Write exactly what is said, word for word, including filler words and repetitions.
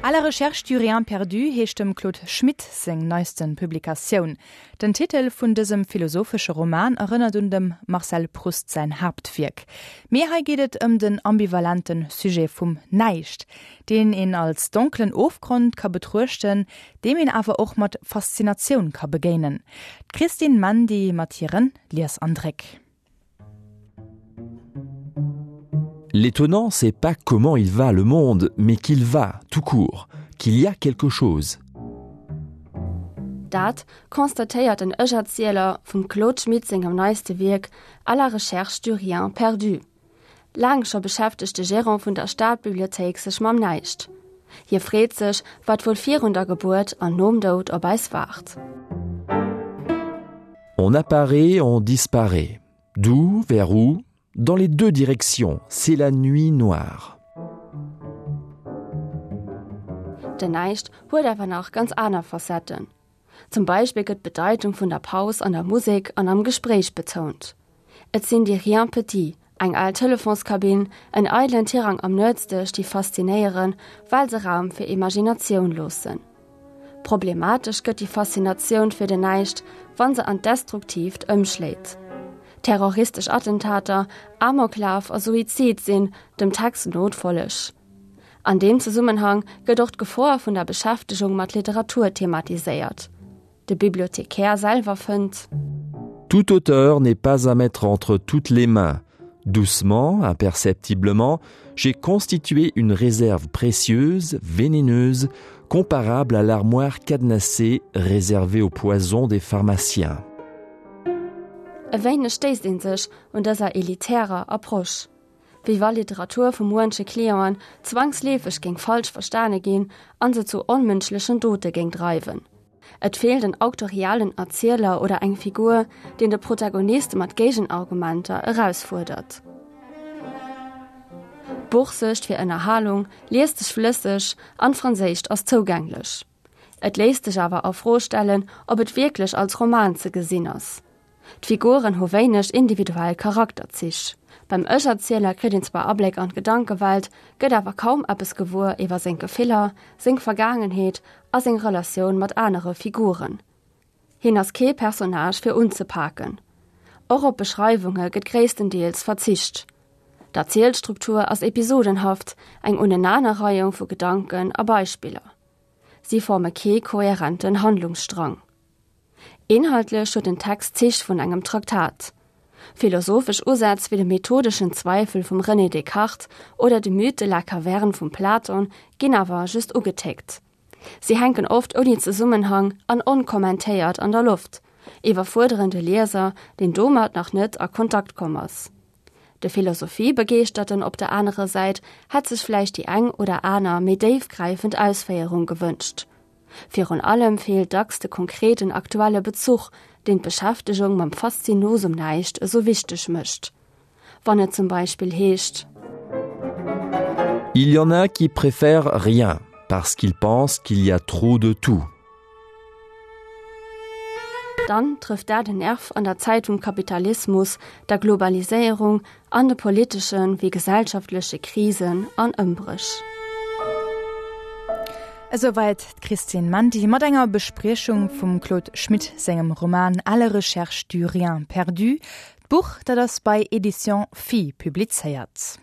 À la recherche du rien perdu heescht dem Claude Schmit seng neiste Publikatioun. Den Titel vun dësem philosophesche Roman erënnert un dem Marcel Proust säin Haaptwierk. Mee hei geet et ëm den ambivalente Sujet vum Näischt, deen een als donkelen Ofgrond ka betruechten, deem een awer och mat Faszinatioun ka begéinen. D'Christine Mandy mat hiren Liesandréck. L'étonnant, c'est pas comment il va le monde, mais qu'il va tout court, qu'il y a quelque chose. Dat constatéiert den Ech-Erzieler vum Claude Schmit sengem neiste Wierk À la recherche du rien perdu. Laang scho beschäftegt de Gerant vun der Stadbibliothéik sech mam Näischt. Hie freet sech, wat wuel virun der Gebuert an nom Doud op eis waart. On apparaît, on disparaît. D'où, vers où? Dans les deux directions, c'est la nuit noire. Den Näischt huet awer nach ganz aner Facetten. Zum Beispill gëtt d'Bedeitung vun der Paus an der Musek an am Gespréich betount. Et sinn déi Riens petits, eng al Telefonskabinn, en eidelen Tirang am Nuetsdësch, déi faszinéieren, well se Raum fir Imaginatioun loossen. Problematesch gëtt déi Faszinatioun fir den Näischt, wa se an d'Destruktiivt ëmschléit. Terroristesch Attentater, Amoklaf a Suizid sinn dem Text no d'Folleg. An deem Zesummenhang gëtt och d'Gefor vun der Beschäftegung mat Literatur thematiséiert. De Bibliothekär selwer fënnt. Tout auteur n'est pas à mettre entre toutes les mains. Doucement, imperceptiblement, j'ai constitué une réserve précieuse, vénéneuse, comparable à l'armoire cadenassée réservée aux poisons des pharmaciens. E wéineg stéisst ee sech un dëser elitärer Approche. Wéi wa Literatur vu muenche Clienten zwangsleefeg géing falsch verstane ginn an se zu onmënschlechen Dote géing dreiwen. Et feelt en auktorialen Erzieler oder eng Figur, deen de Protagonist mat Géigenargumenter erausfuerdert. D'Buch suergt fir Ënnerhalung, liest sech flësseg an d'Franséischt ass zougänglech. Et léisst sech awer a Fro stellen, ob et wierklech als Roman ze gesinn ass. D'Figuren hu wéineg individuell Charakterzich. Beim Ech-Erzieler kritt een zwar Abléck an d'Gedankewelt, gëtt awer kaum eppes gewuer iwwer seng Gefiller, seng Vergaangenheet a seng Relatioun mat anere Figuren. Hien ass kee Personnage fir unzepaken. Och op Beschreiwunge gëtt gréisstendeels verzicht. D'Erzielstruktur ass episodenhaft, eng Unenanerreihung vu Gedanken a Beispiller. Si forme kee kohärenten Handlungsstrang. Inhaltlech huet den Text Zich vun engem Traktat. Philosophesch Usätz wéi de methodeschen Zweifel vum René Descartes oder de Mythe de la caverne vum Platon ginn awer just ugetickt. Si hänken oft ouni Zesummenhang an onkommentéiert an der Loft, iwwerfuerderen de Lieser, deen domat nach net a Kontakt komm ass. De Philosophiebegeeschterten op der anerer Säit hätt sech vläicht déi eng oder aner méi déifgräifend Ausféierung gewënscht. Virun allem feelt dacks de konkreten aktuelle Bezuch, deen d'Beschäftegung mam Faszinosum Näischt esou wichteg mécht. Wann et zum Beispill heescht. Il y en a qui préfèrent rien, parce qu'ils pensent qu'il y a trop de tout. Dann trëfft dat en Nerv an der Zäit vum Kapitalismus, der Globaliséierung an de politesche wéi gesellschaftleche Krisen an Ëmbréch. Esouwäit d'Christine Mandy mat enger Bespriechung vum Claude Schmit sengem Roman À la recherche du rien perdu. D'Buch, dat ass bei Editions Phi publizéiert.